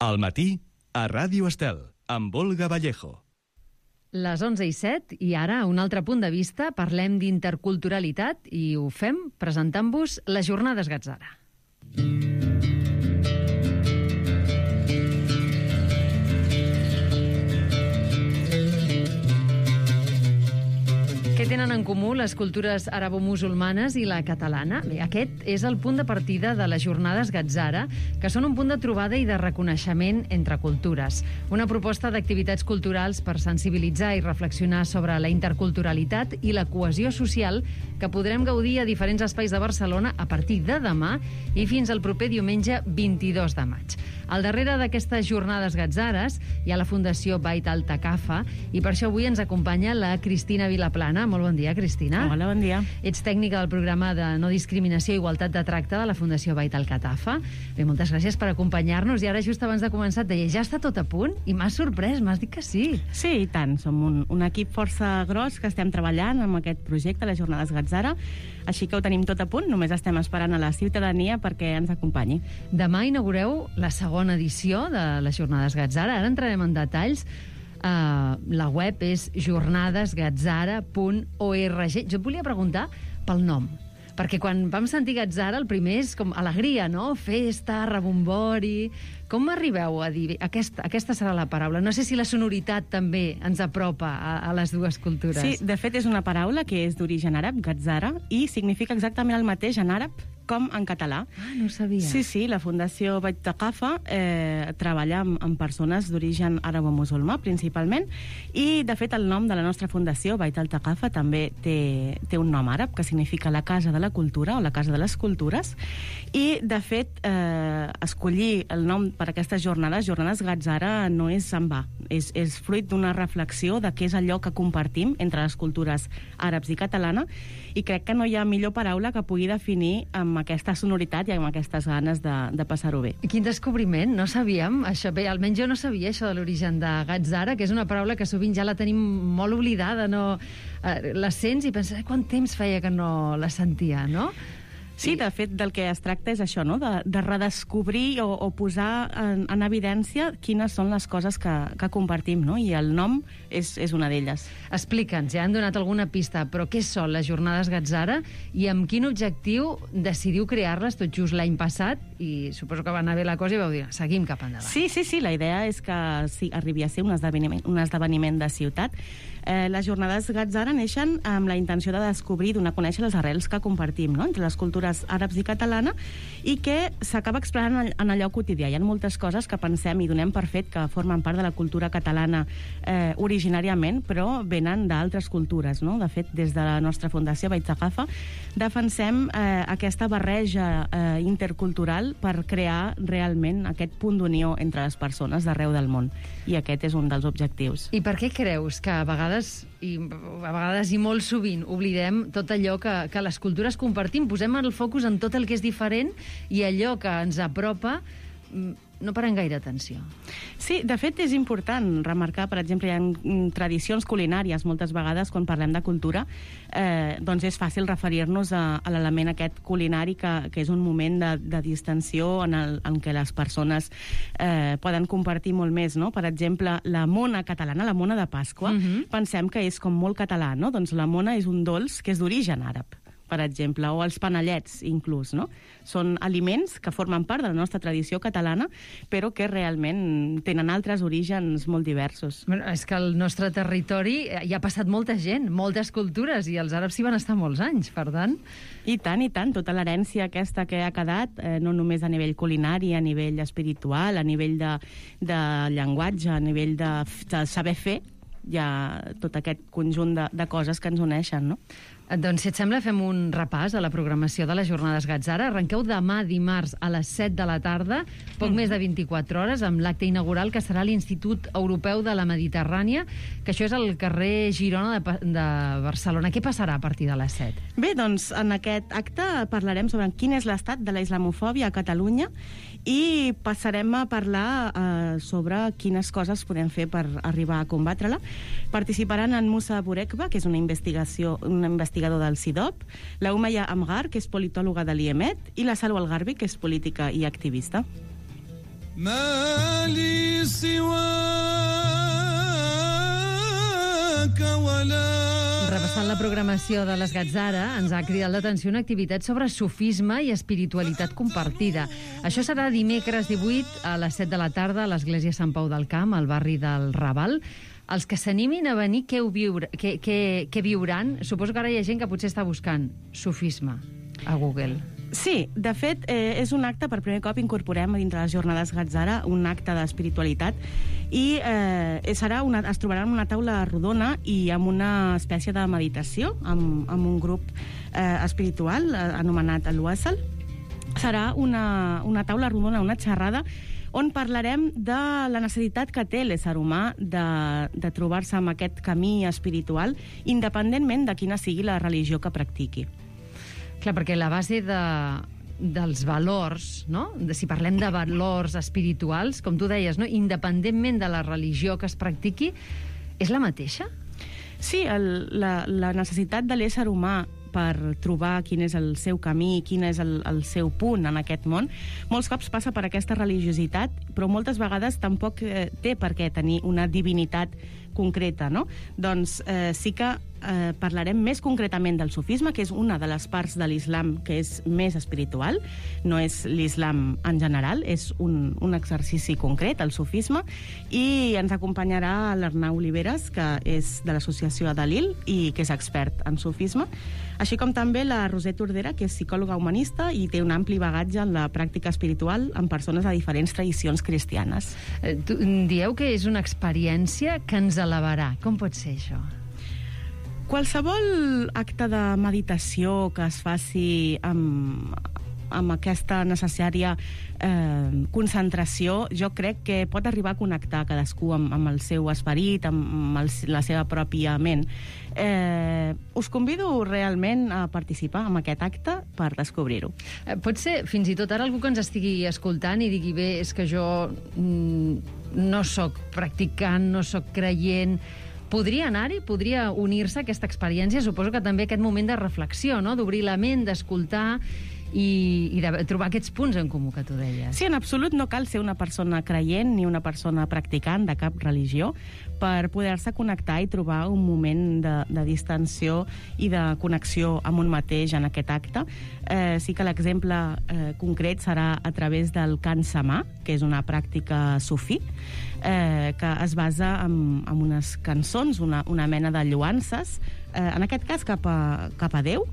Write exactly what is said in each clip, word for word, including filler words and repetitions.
Al matí, a Ràdio Estel, amb Olga Vallejo. Les onze i set, i ara, un altre punt de vista, parlem d'interculturalitat i ho fem presentant-vos les Jornades Gatzara. Què tenen en comú les cultures arabo-musulmanes i la catalana? Bé, aquest és el punt de partida de les Jornades Gatzara, que són un punt de trobada i de reconeixement entre cultures. Una proposta d'activitats culturals per sensibilitzar i reflexionar sobre la interculturalitat i la cohesió social que podrem gaudir a diferents espais de Barcelona a partir de demà i fins al proper diumenge vint-i-dos de maig. Al darrere d'aquestes Jornades Gatzares hi ha la Fundació Bait Al-Thaqafa i per això avui ens acompanya la Cristina Vilaplana. Molt bon dia, Cristina. Hola, bon dia. Ets tècnica del programa de no discriminació i igualtat de tracte de la Fundació Bait Al-Thaqafa. Bé, moltes gràcies per acompanyar-nos i ara just abans de començar et deia, ja està tot a punt? I m'has sorprès, m'has dit que sí. Sí, i tant. Som un, un equip força gros que estem treballant amb aquest projecte, les Jornades Gatzara, així que ho tenim tot a punt, només estem esperant a la ciutadania perquè ens acompanyi. Demà inaugureu la segona edició de les Jornades Gatzara. Ara entrarem en detalls. Uh, la web és jornades gatzara punt org. Jo et volia preguntar pel nom, perquè quan vam sentir Gatzara el primer és com alegria, no? Festa, rebombori... Com arribeu a dir aquesta, aquesta serà la paraula? No sé si la sonoritat també ens apropa a, a les dues cultures. Sí, de fet és una paraula que és d'origen àrab, Gatzara, i significa exactament el mateix en àrab com en català. Ah, no ho sabia. Sí, sí, la Fundació Bait Al-Thaqafa eh, treballa amb, amb persones d'origen àrab-musulmà, principalment, i, de fet, el nom de la nostra fundació, Bait Al-Thaqafa, també té, té un nom àrab, que significa la casa de la cultura, o la casa de les cultures, i, de fet, eh, escollir el nom per aquestes jornades, Jornades Gatzara, no és en va. És, és fruit d'una reflexió de què és allò que compartim entre les cultures àrabs i catalana, i crec que no hi ha millor paraula que pugui definir amb aquesta sonoritat i amb aquestes ganes de, de passar-ho bé. Quin descobriment, no sabíem això. Bé, almenys jo no sabia això de l'origen de Gatzara, que és una paraula que sovint ja la tenim molt oblidada, no? Eh, la sents i penses, quant temps feia que no la sentia, no? Sí, de fet, del que es tracta és això, no? de, de redescobrir o, o posar en, en evidència quines són les coses que, que compartim, no? I el nom és, és una d'elles. Explica'ns, ja han donat alguna pista, però què són les Jornades Gatzara i amb quin objectiu decidiu crear-les tot just l'any passat? I suposo que va anar bé la cosa i vau dir, seguim cap endavant. Sí, sí, sí, la idea és que sí, arribi a ser un esdeveniment, un esdeveniment de ciutat. Eh, les Jornades Gatzara neixen amb la intenció de descobrir i donar a conèixer les arrels que compartim, no? Entre les cultures àrabs i catalana, i que s'acaba expressant en allò quotidià. Hi ha moltes coses que pensem i donem per fet que formen part de la cultura catalana eh, originàriament, però venen d'altres cultures, no? De fet, des de la nostra Fundació Bait Al-Thaqafa defensem eh, aquesta barreja eh, intercultural per crear realment aquest punt d'unió entre les persones d'arreu del món. I aquest és un dels objectius. I per què creus que a vegades, i a vegades i molt sovint, oblidem tot allò que, que les cultures compartim? Posem el focus en tot el que és diferent i allò que ens apropa no parem gaire atenció. Sí, de fet és important remarcar, per exemple, hi ha tradicions culinàries moltes vegades quan parlem de cultura, eh, doncs és fàcil referir-nos a, a l'element aquest culinari que, que és un moment de, de distensió en, el, en què les persones eh, poden compartir molt més, no? Per exemple, la mona catalana, la mona de Pasqua, uh-huh. pensem que és com molt català, no? Doncs la mona és un dolç que és d'origen àrab, per exemple, o els panellets, inclús, no? Són aliments que formen part de la nostra tradició catalana, però que realment tenen altres orígens molt diversos. Bueno, és que al nostre territori hi ha passat molta gent, moltes cultures, i els àrabs hi van estar molts anys, per tant... I tant, i tant, tota l'herència aquesta que ha quedat, eh, no només a nivell culinari, a nivell espiritual, a nivell de, de llenguatge, a nivell de, de saber fer, hi ha tot aquest conjunt de, de coses que ens uneixen, no? Doncs, si et sembla, fem un repàs a la programació de les Jornades Gatzara. Arrenqueu demà dimarts a les set de la tarda, poc mm. més de vint-i-quatre hores, amb l'acte inaugural que serà l'Institut Europeu de la Mediterrània, que això és al carrer Girona de, de Barcelona. Què passarà a partir de les set? Bé, doncs, en aquest acte parlarem sobre quin és l'estat de la islamofòbia a Catalunya i passarem a parlar eh, sobre quines coses podem fer per arribar a combatre-la. Participaran en Musa Burekba, que és una investigació, una investigació investigador del C I D O P, la Umeya Amgar, que és politòloga de l'I E M E T, i la Salwa Algarbi, que és política i activista. ما لي سواك ولا. Repassant la programació de les Gatzara, ens ha cridat l'atenció una activitat sobre sufisme i espiritualitat compartida. Això serà dimecres divuit a les set de la tarda a l'Església Sant Pau del Camp, al barri del Raval. Els que s'animin a venir, què, ho viure, què, què, què viuran? Suposo que ara hi ha gent que potser està buscant sufisme a Google. Sí, de fet, eh, és un acte, per primer cop incorporem dintre les jornades Gatzara un acte d'espiritualitat i eh, serà una, es trobaran una taula rodona i amb una espècie de meditació, amb, amb un grup eh, espiritual eh, anomenat el Wassal. Serà una, una taula rodona, una xerrada, on parlarem de la necessitat que té l'ésser humà de, de trobar-se amb aquest camí espiritual, independentment de quina sigui la religió que practiqui. Clar, perquè la base de, dels valors, no? De, si parlem de valors espirituals, com tu deies, no? Independentment de la religió que es practiqui, és la mateixa? Sí, el, la, la necessitat de l'ésser humà per trobar quin és el seu camí, quin és el, el seu punt en aquest món, molts cops passa per aquesta religiositat, però moltes vegades tampoc eh, té per què tenir una divinitat concreta, no? Doncs eh, sí que eh, parlarem més concretament del sufisme, que és una de les parts de l'islam que és més espiritual, no és l'islam en general, és un, un exercici concret, el sufisme, i ens acompanyarà l'Arnau Oliveres, que és de l'associació Adalil i que és expert en sufisme, així com també la Roser Tordera, que és psicòloga humanista i té un ampli bagatge en la pràctica espiritual amb persones de diferents tradicions cristianes. Eh, tu, dieu que és una experiència que ens elevarà. Com pot ser això? Qualsevol acte de meditació que es faci amb, amb aquesta necessària eh, concentració, jo crec que pot arribar a connectar cadascú amb, amb el seu esperit, amb, amb el, la seva pròpia ment. Eh, us convido realment a participar en aquest acte per descobrir-ho. Eh, pot ser, fins i tot ara, algú que ens estigui escoltant i digui, bé, és que jo mm, no sóc practicant, no sóc creient. Podria anar-hi? Podria unir-se a aquesta experiència? Suposo que també aquest moment de reflexió, no? D'obrir la ment, d'escoltar i, i de trobar aquests punts en comú que tu deies. Sí, en absolut no cal ser una persona creient ni una persona practicant de cap religió per poder-se connectar i trobar un moment de, de distensió i de connexió amb un mateix en aquest acte. Eh, sí que l'exemple eh, concret serà a través del cant samà, que és una pràctica sufí, eh, que es basa en, en unes cançons, una, una mena de lloances, eh, en aquest cas cap a, cap a Déu,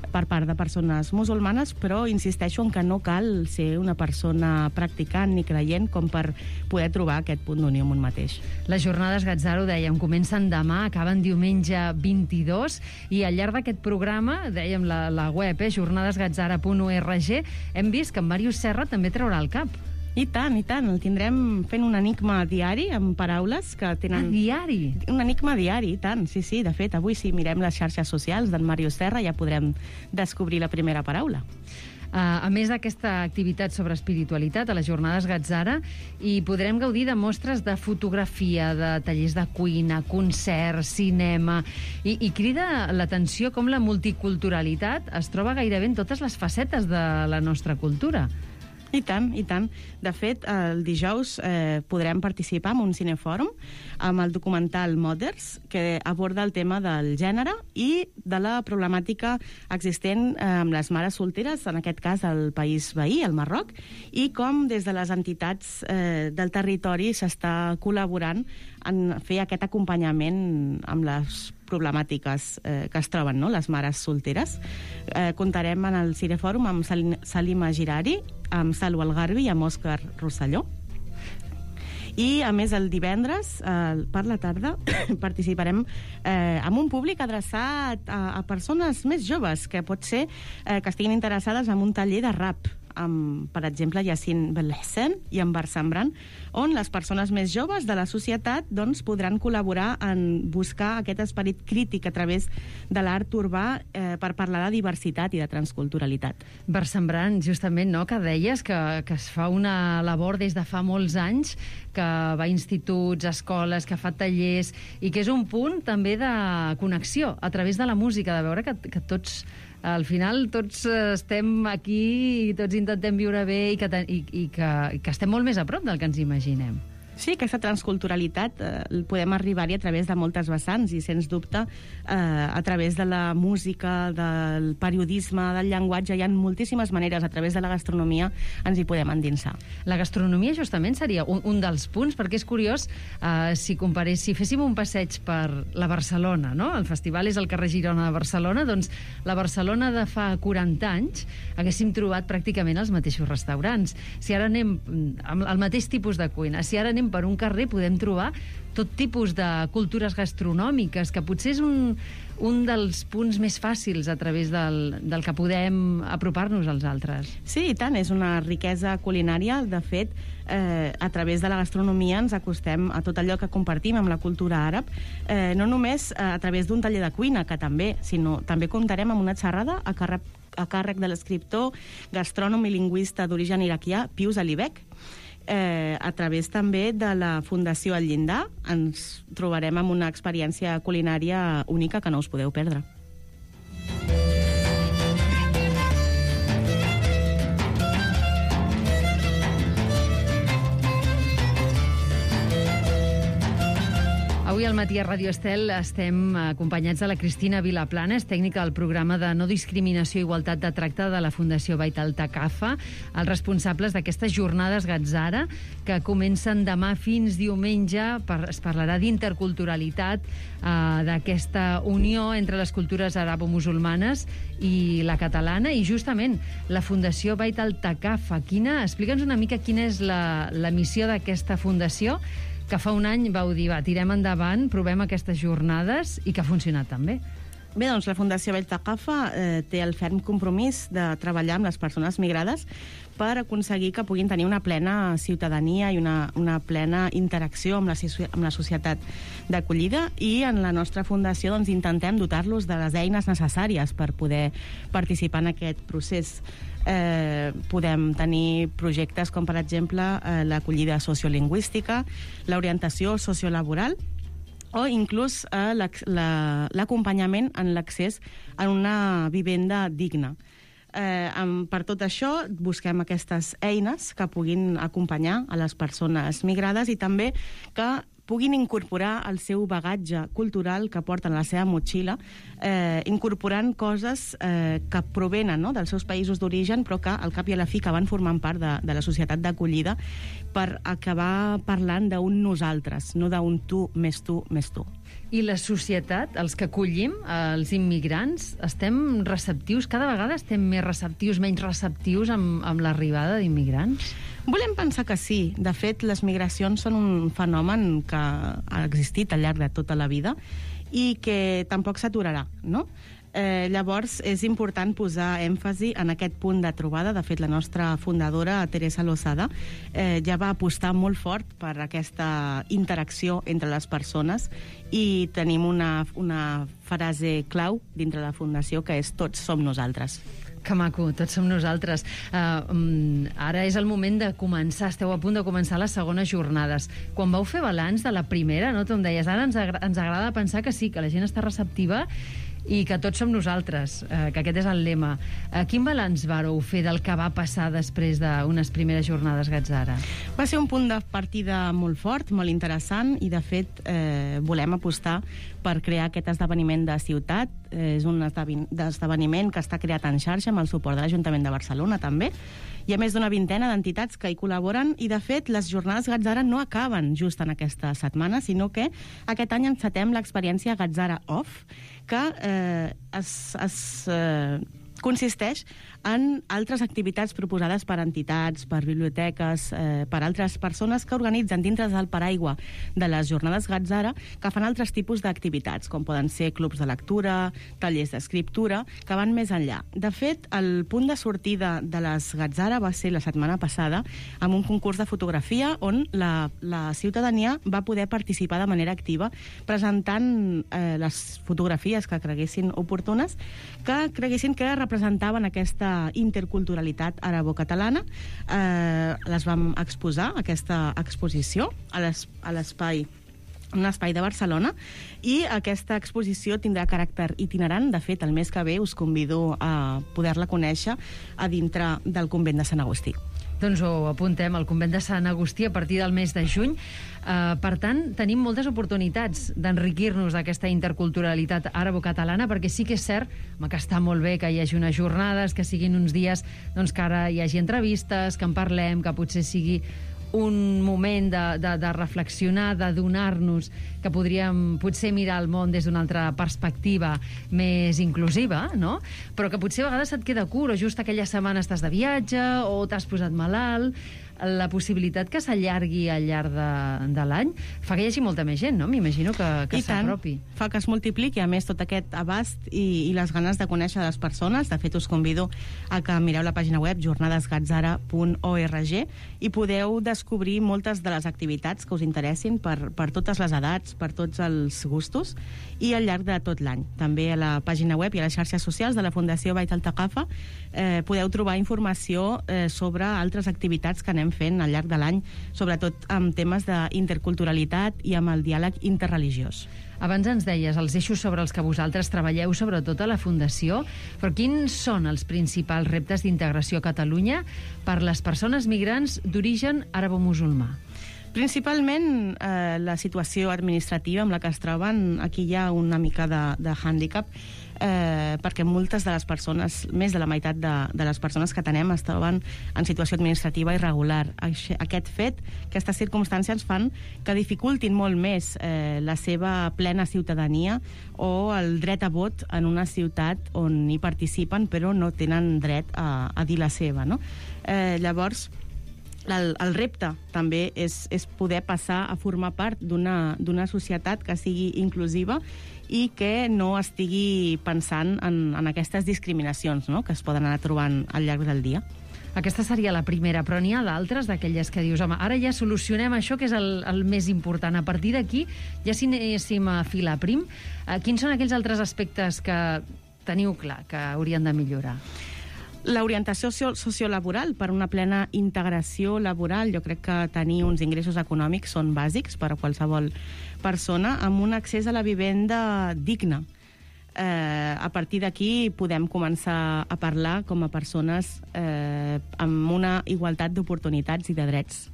per part de persones musulmanes, però insisteixo en que no cal ser una persona practicant ni creient com per poder trobar aquest punt d'unió amb un mateix. Les jornades Gatzara, ho dèiem, comencen demà, acaben diumenge vint-i-dos, i al llarg d'aquest programa, dèiem la, la web, eh, jornades gatzara punt org, hem vist que en Màrius Serra també traurà el cap. I tant, i tant. El tindrem fent un enigma diari amb paraules que tenen... Ah, diari? Un enigma diari, i tant. Sí, sí. De fet, avui si mirem les xarxes socials d'en Màrius Serra ja podrem descobrir la primera paraula. Uh, a més d'aquesta activitat sobre espiritualitat, a les jornades Gatzara, hi podrem gaudir de mostres de fotografia, de tallers de cuina, concerts, cinema, i, i crida l'atenció com la multiculturalitat es troba gairebé en totes les facetes de la nostra cultura. I tant, i tant. De fet, el dijous eh, podrem participar en un cinefòrum amb el documental Mothers, que aborda el tema del gènere i de la problemàtica existent eh, amb les mares solteres, en aquest cas al país veí, el Marroc, i com des de les entitats eh, del territori s'està col·laborant en fer aquest acompanyament amb les problemàtiques eh, que es troben, no?, les mares solteres. Eh, comptarem en el cinefòrum amb Sal Salima Girari, amb Salwa Algarbi i amb Òscar Rosselló. I, a més, el divendres, eh, per la tarda, participarem eh, amb un públic adreçat a, a persones més joves, que pot ser eh, que estiguin interessades en un taller de rap, amb, per exemple, Yacine Belhessen i amb Barsambran, on les persones més joves de la societat doncs, podran col·laborar en buscar aquest esperit crític a través de l'art urbà eh, per parlar de diversitat i de transculturalitat. Barsambran, justament, no?, que deies que, que es fa una labor des de fa molts anys, que va a instituts, escoles, que fa tallers, i que és un punt també de connexió a través de la música, de veure que, que tots al final tots estem aquí i tots intentem viure bé i que, i, i que, i que estem molt més a prop del que ens imaginem. Sí, aquesta transculturalitat eh, podem arribar-hi a través de moltes vessants i, sens dubte, eh, a través de la música, del periodisme, del llenguatge, hi ha moltíssimes maneres, a través de la gastronomia ens hi podem endinsar. La gastronomia, justament, seria un, un dels punts, perquè és curiós, eh, si comparés, si féssim un passeig per la Barcelona, no? El festival és al carrer Girona de Barcelona, doncs la Barcelona de fa quaranta anys haguéssim trobat pràcticament els mateixos restaurants. Si ara anem amb el mateix tipus de cuina, si ara anem per un carrer podem trobar tot tipus de cultures gastronòmiques, que potser és un, un dels punts més fàcils a través del, del que podem apropar-nos als altres. Sí, i tant, és una riquesa culinària. De fet, eh, a través de la gastronomia ens acostem a tot allò que compartim amb la cultura àrab, eh, no només a través d'un taller de cuina, que també, sinó també comptarem amb una xerrada a càrrec, a càrrec de l'escriptor, gastrònom i lingüista d'origen iraquià, Pius Alibek. Eh, a través també de la Fundació El Llindar ens trobarem amb una experiència culinària única que no us podeu perdre. Avui al matí a Ràdio Estel estem acompanyats de la Cristina Vilaplana, és tècnica del programa de no discriminació i igualtat de tracte de la Fundació Bait al-Thaqafa, els responsables d'aquestes jornades Gatzara, que comencen demà fins diumenge. Per, es parlarà d'interculturalitat, eh, d'aquesta unió entre les cultures arabo-musulmanes i la catalana, i justament la Fundació Bait al-Thaqafa. Quina, explica'ns una mica quina és la, la missió d'aquesta fundació, que fa un any vau dir, va, tirem endavant, provem aquestes jornades, i que ha funcionat també. Bé, doncs la Fundació Bait al-Thaqafa eh, té el ferm compromís de treballar amb les persones migrades per aconseguir que puguin tenir una plena ciutadania i una, una plena interacció amb la, amb la societat d'acollida, i en la nostra fundació doncs, intentem dotar-los de les eines necessàries per poder participar en aquest procés. Eh, podem tenir projectes com, per exemple, eh, l'acollida sociolingüística, l'orientació sociolaboral, o inclús eh, l'acompanyament en l'accés a una vivenda digna. Eh, amb, per tot això busquem aquestes eines que puguin acompanyar a les persones migrades i també que puguin incorporar el seu bagatge cultural que porten a la seva motxilla, eh, incorporant coses eh, que provenen, no?, dels seus països d'origen, però que al cap i a la fi que van formant part de, de la societat d'acollida, per acabar parlant d'un nosaltres, no d'un tu més tu més tu. I la societat, els que acollim, els immigrants, estem receptius? Cada vegada estem més receptius, menys receptius amb, amb l'arribada d'immigrants? Volem pensar que sí. De fet, les migracions són un fenomen que ha existit al llarg de tota la vida i que tampoc s'aturarà, no? Eh, llavors, és important posar èmfasi en aquest punt de trobada. De fet, la nostra fundadora, Teresa Lozada, eh, ja va apostar molt fort per aquesta interacció entre les persones, i tenim una, una frase clau dintre la Fundació, que és tots som nosaltres. Que maco, tots som nosaltres. Uh, um, ara és el moment de començar, esteu a punt de començar les segones jornades. Quan vau fer balanç de la primera, no, tu em deies, ara ens, agra ens agrada pensar que sí, que la gent està receptiva i que tots som nosaltres, eh, que aquest és el lema. Eh, quin balanç vareu fer del que va passar després d'unes primeres jornades Gatzara? Va ser un punt de partida molt fort, molt interessant, i de fet eh, volem apostar per crear aquest esdeveniment de ciutat. Eh, és un esdeveniment que està creat en xarxa amb el suport de l'Ajuntament de Barcelona també. Hi ha més d'una vintena d'entitats que hi col·laboren, i de fet les jornades Gatzara no acaben just en aquesta setmana, sinó que aquest any encetem l'experiència Gatzara Off, que eh, es, es eh, consisteix en altres activitats proposades per entitats, per biblioteques, eh, per altres persones que organitzen dintre del paraigua de les jornades Gatzara, que fan altres tipus d'activitats, com poden ser clubs de lectura, tallers d'escriptura, que van més enllà. De fet, el punt de sortida de les Gatzara va ser la setmana passada amb un concurs de fotografia on la, la ciutadania va poder participar de manera activa presentant eh, les fotografies que creguessin oportunes, que creguessin que representaven aquesta interculturalitat arabo-catalana. Eh, les vam exposar, aquesta exposició, a l'espai un espai de Barcelona, i aquesta exposició tindrà caràcter itinerant. De fet, el mes que ve us convido a poder-la conèixer a dintre del convent de Sant Agustí. Doncs ho apuntem, al convent de Sant Agustí a partir del mes de juny. Uh, per tant, tenim moltes oportunitats d'enriquir-nos d'aquesta interculturalitat àrabo-catalana, perquè sí que és cert home, que està molt bé que hi hagi unes jornades, que siguin uns dies doncs, que ara hi hagi entrevistes, que en parlem, que potser sigui un moment de, de, de reflexionar, de donar-nos que podríem potser mirar el món des d'una altra perspectiva més inclusiva, no? Però que potser a vegades et queda curt, o just aquella setmana estàs de viatge, o t'has posat malalt. La possibilitat que s'allargui al llarg de, de l'any fa que hi hagi molta més gent, no? M'imagino que, que s'apropi. Fa que es multipliqui, a més, tot aquest abast i, i les ganes de conèixer les persones. De fet, us convido a que mireu la pàgina web jornades gatzara punt org i podeu descobrir moltes de les activitats que us interessin per, per totes les edats, per tots els gustos, i al llarg de tot l'any. També a la pàgina web i a les xarxes socials de la Fundació Bait al-Thaqafa eh, podeu trobar informació eh, sobre altres activitats que anem fent al llarg de l'any, sobretot amb temes d'interculturalitat i amb el diàleg interreligiós. Abans ens deies els eixos sobre els que vosaltres treballeu, sobretot a la Fundació, però quins són els principals reptes d'integració a Catalunya per les persones migrants d'origen àrabo-musulmà? Principalment eh, la situació administrativa amb la que es troben. Aquí hi ha una mica de, de hàndicap, eh, perquè moltes de les persones, més de la meitat de, de les persones que tenem es troben en situació administrativa irregular. Aquest fet, aquestes circumstàncies fan que dificultin molt més eh, la seva plena ciutadania o el dret a vot en una ciutat on hi participen però no tenen dret a, a dir la seva, no? Eh, llavors, El, el repte també és, és poder passar a formar part d'una d'una societat que sigui inclusiva i que no estigui pensant en, en aquestes discriminacions, no?, que es poden anar trobant al llarg del dia. Aquesta seria la primera, però n'hi ha d'altres, d'aquelles que dius, home, ara ja solucionem això, que és el, el més important. A partir d'aquí, ja si anéssim a filar prim, eh, quins són aquells altres aspectes que teniu clar que haurien de millorar? L'orientació sociolaboral per una plena integració laboral. Jo crec que tenir uns ingressos econòmics són bàsics per a qualsevol persona, amb un accés a la vivenda digna. Eh, a partir d'aquí podem començar a parlar com a persones eh, amb una igualtat d'oportunitats i de drets.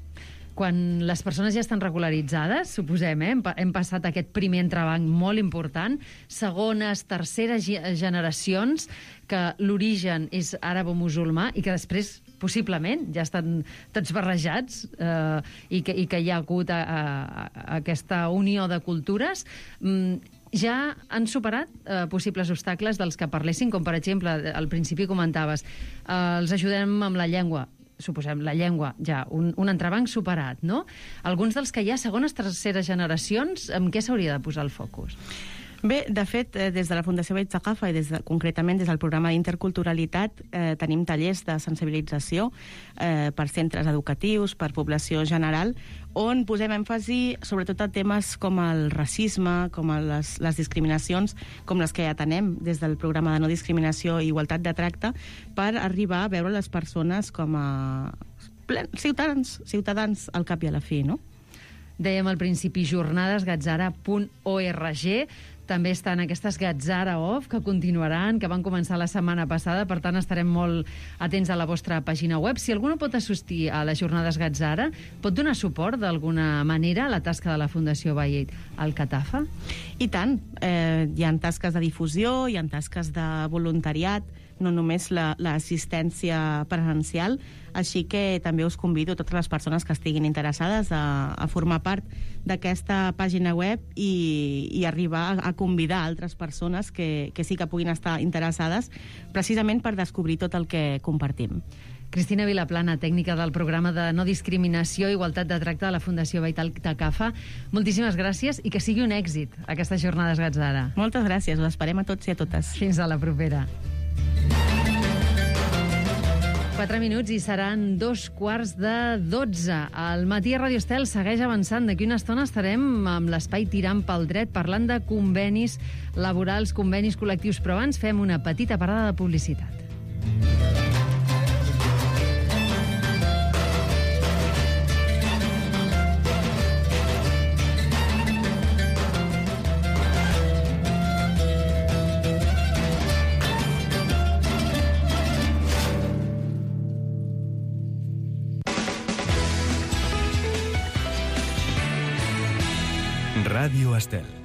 Quan les persones ja estan regularitzades, suposem, eh? hem, hem passat aquest primer entrebanc molt important, segones, terceres generacions, que l'origen és àrabo-musulmà i que després, possiblement, ja estan tots barrejats eh, i, que, i que hi ha hagut a, a, a aquesta unió de cultures, mm, ja han superat eh, possibles obstacles dels que parlessin, com per exemple, al principi comentaves, eh, els ajudem amb la llengua. Suposem, la llengua, ja, un, un entrebanc superat, no? Alguns dels que hi ha segones, terceres generacions, amb què s'hauria de posar el focus? Bé, de fet, des de la Fundació Bait al-Thaqafa i des de, concretament des del programa d'interculturalitat eh, tenim tallers de sensibilització eh, per centres educatius, per població general, on posem èmfasi sobretot a temes com el racisme, com les, les discriminacions, com les que ja tenem des del programa de no discriminació i igualtat de tracte, per arribar a veure les persones com a ciutadans, ciutadans al cap i a la fi, no? Dèiem al principi jornades gatzara punt org. També estan aquestes Gatzara Off, que continuaran, que van començar la setmana passada, per tant estarem molt atents a la vostra pàgina web. Si algú no pot assistir a les jornades Gatzara, pot donar suport d'alguna manera a la tasca de la Fundació Bait al-Thaqafa? I tant. Eh, hi ha tasques de difusió, hi ha tasques de voluntariat, no només l'assistència la, presencial, així que també us convido a totes les persones que estiguin interessades a, a formar part d'aquesta pàgina web i, i arribar a, a convidar altres persones que, que sí que puguin estar interessades, precisament per descobrir tot el que compartim. Cristina Vilaplana, tècnica del programa de no discriminació i igualtat de tracte de la Fundació Bait al-Thaqafa, moltíssimes gràcies i que sigui un èxit aquestes jornades Gatzara. Moltes gràcies, us esperem a tots i a totes. Fins a la propera. Quatre minuts i seran dos quarts de dotze. El matí a Radio Estel segueix avançant. D'aquí una estona estarem amb l'espai Tirant pel Dret, parlant de convenis laborals, convenis col·lectius, però abans fem una petita parada de publicitat. Ràdio Estel.